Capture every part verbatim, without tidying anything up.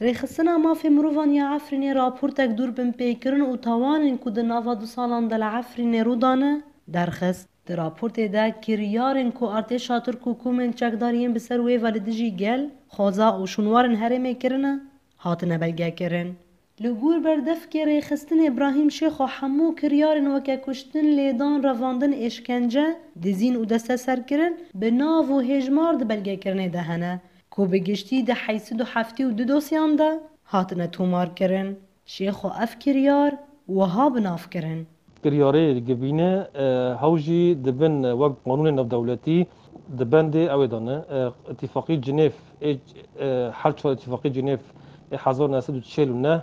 Rêxistina Mafê Mirovan ya Efrînê raportek dûr binpêkirin û tawanên ku di nava du salan de li Efrînê rû dane, derxist. Di raportê de kiryarên ku artêşa Tirk û komên çekdar yên bi ser wê ve li dijî gel, xweza û şûnwarên herêmê kirine, hatine belgekirin. Li gor berdevkê rêxistinê Brahîm Şêxo hemû kiryarên weke kuştin, lêdan, revandin, êşkence, dizîn û desteserkirin bi nav û hêjmar di belgekirinê de hene, ku bi giştî di heyt sed û heftê û du dosyan de hatine tomarkirin. Şêxo ev kiryar wiha bi nav kirin. Kiryarê gibîne, e, hew jî dibin wek qanûnê navdewletî, di bendê ew ê de ne, e, Îtîfaqî Cinêv, ê, e, her çar Îtîfaqî Cinêv ê hezar neh sed û çil û neh,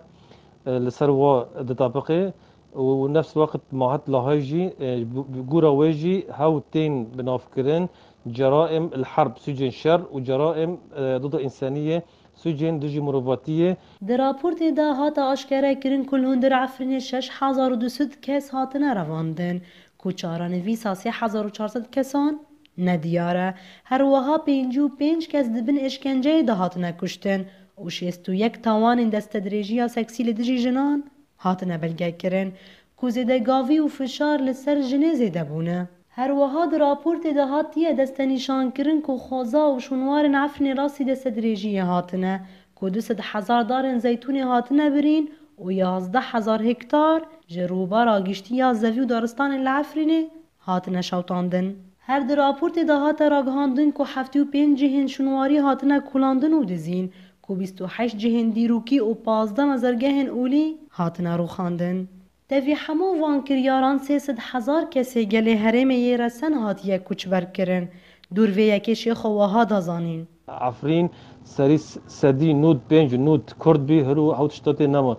e, li ser wa ditabiqe û nefs weqt Mahat Lahayî jî, e, bi, bi gora wê jî hew tên binavkirin, ceraim el herb, sûcên şer û ceraim, e, dida însaniyê, sûcên dijî mirovatiyê. Di raportê de hate aşkere kirin ku li hundir Efrînê şeş hezar û du sed kes hatine revandin, ku çarenivîsa sê hezar û çar sed kesan nediyar e. Her wiha pêncî û pênc kes di bin êşkenceyê de hatine kuştin û şêst û yek tawanên destedirêjiya seksî li dijî jinan hatine belgekirin, ku zêdegavî û fişar li ser jinê zêde bûne. Her wiha di raportê de hatiye destenîşankirin ku xweza û şûnwarên Efrînê rastî destedirêjiyê hatine, ku du sed hezar darên zeytûnê hatine birîn û yazdeh hezar hektar ji rûbara giştî ya zevî û daristanên li Efrînê hatine şewitandin. Her di raportê de hate ragihandin ku heftê û pênc cihên şûnwarî hatine kolandin û dizîn, ku bîst û heşt cihên dîrokî û pazdeh mezergehên olî hatine rûxandin. Tevî hemû van kiryaran sê sed hezar kesê gelê herêmê yê resen hatiye koçber kirin. Dûr vê yekê Şêxo wiha da zanîn. Efrîn serî s-, sedî nod pênc nod Kurd bî, hiro hew tişta tê nema.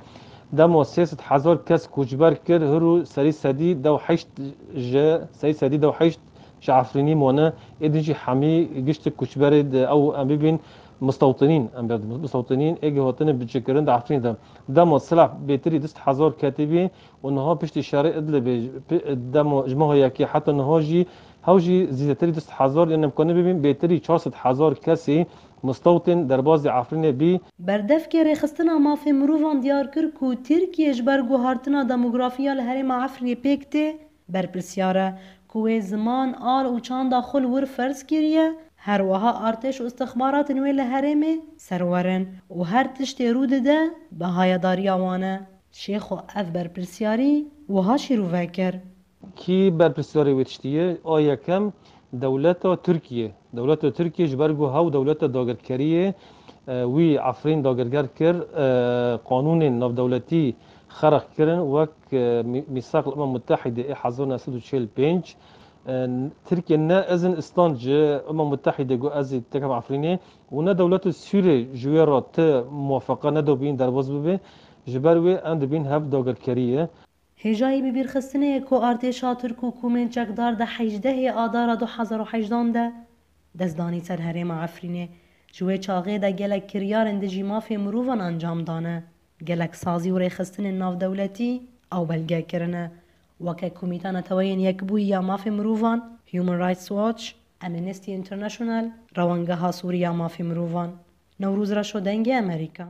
Dema sê sed hezar kes koçber kir, hiro serî sedî dew heşt ji, serî sedî dew heşt ji Efrînî mane. Êdî jî hemî giştî koçberê de ew em bibîn mistewtinîn, em bê mistewtinîn, êgî hatine biçekirin di Efrînê de. Dema silah bêtirî du sed hezar ketî bî û niha piştî şerê Idlibê, pi-, dema ji meha yekê heta niha jî hew jî zêdetirî du sed hezar, yên em kanî bibîn bêtirî çar sed hezar kesî mistewtin derbazî Efrînê bî. Berdevkê Rêxistina Mafê Mirovan diyar kir ku Tirkiye ji ber guhartina demografiya li herêma Efrînê pêk tê, berpirsiyar e, ku wê ziman, al û çanda xwe li wir ferz kiriye, her wiha artêş û istixbaratên wê li herêmê serwer in û her tiştê rû dide, bi hayedariya wan e. Şêxo ev berpirsiyarî wiha şîrove kir. Kî berpirsiyarê wê tiştî ye? A yekem, dewleta Tirkiye. Dewleta Tirkiye ji ber ku hew dewleta dagirkerî ye, e, wî Efrîn dagirker kir, e, qanûnên navdewletî xerq kirin, wek, e, mî-, Mîsaq Umem Mutehîdê ê hezar neh sed û çil pênc. E, Tirkiye ne izin istan ji Umem Mutehîdê got ez ê tekem Efrînê û ne dewleta Sûriyê ji wê re ti muwafeqa nedabîn derbas bibe. Ji ber wê em dibîn hev dagirkerî ye. Hêjayî bibîrxistinê ye ku artêşa Tirk û komên çekdar di hejdehê Adara du hezar û hejdan de dest danî ser herêma Efrînê. Ji wê çaxê de gelek kiryarên dijî mafê mirovan encam dane. Gelek sazî û rêxistinên navdewletî ew belge kirine, weke Komîta Neteweyên Yekbûyî ya Mafê Mirovan, Human Rights Watch, Amnesty International, Rewengeha Sûrî ya Mafê Mirovan. Newroz Reşo, Dengê Amerîka.